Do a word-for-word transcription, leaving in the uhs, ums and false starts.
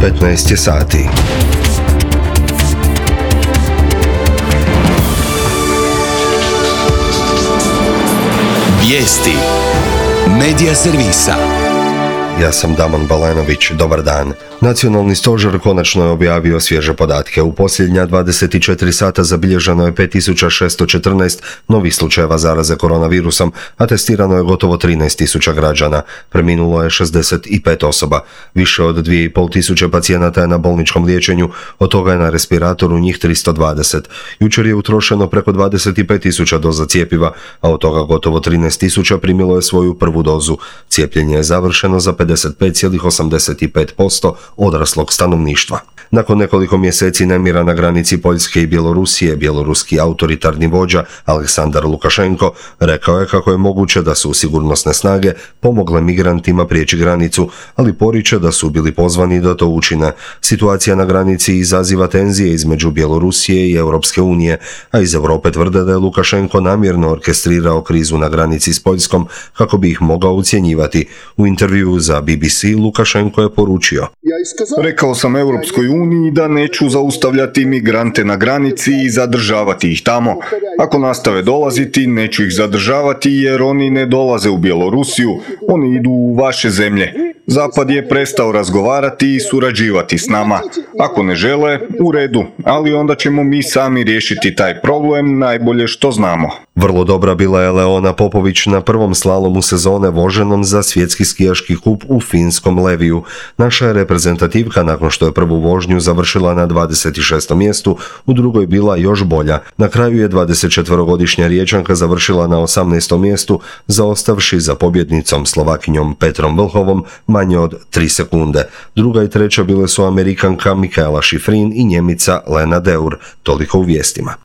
petnaest je sati. Vijesti Medija servisa. Ja sam Damon Balenović, dobar dan. Nacionalni stožer konačno je objavio svježe podatke. U posljednja dvadeset četiri sata zabilježeno je pet tisuća šesto četrnaest novih slučajeva zaraze koronavirusom, a testirano je gotovo trinaest tisuća građana. Preminulo je šezdeset pet osoba. Više od dvije i pol tisuće pacijenata je na bolničkom liječenju, od toga je na respiratoru njih tristo dvadeset. Jučer je utrošeno preko dvadeset pet tisuća doza cjepiva, a od toga gotovo trinaest tisuća primilo je svoju prvu dozu. Cijepljenje je završeno za pedeset pet zarez osamdeset pet posto odraslog stanovništva. Nakon nekoliko mjeseci nemira na granici Poljske i Bjelorusije, bjeloruski autoritarni vođa Aleksandar Lukašenko rekao je kako je moguće da su sigurnosne snage pomogle migrantima prijeći granicu, ali poriče da su bili pozvani da to učine. Situacija na granici izaziva tenzije između Bjelorusije i Europske unije, a iz Europe tvrde da je Lukašenko namjerno orkestrirao krizu na granici s Poljskom kako bi ih mogao ucjenjivati. U intervjuu za B B C Lukašenko je poručio: Rekao sam Europskoj uniji da neću zaustavljati migrante na granici i zadržavati ih tamo. Ako nastave dolaziti, neću ih zadržavati jer oni ne dolaze u Bjelorusiju, oni idu u vaše zemlje. Zapad je prestao razgovarati i surađivati s nama. Ako ne žele, u redu, ali onda ćemo mi sami riješiti taj problem najbolje što znamo. Vrlo dobra bila je Leona Popović na prvom slalomu sezone voženom za svjetski skijaški kup u finskom Leviju. Naša je reprezentativka nakon što je prvu vožnju završila na dvadeset šestom mjestu, u drugoj bila još bolja. Na kraju je dvadesetčetverogodišnja Riječanka završila na osamnaestom mjestu, zaostavši za pobjednicom Slovakinjom Petrom Vlhovom manje od tri sekunde. Druga i treća bile su Amerikanka Mikaela Šifrin i Njemica Lena Deur. Toliko u vijestima.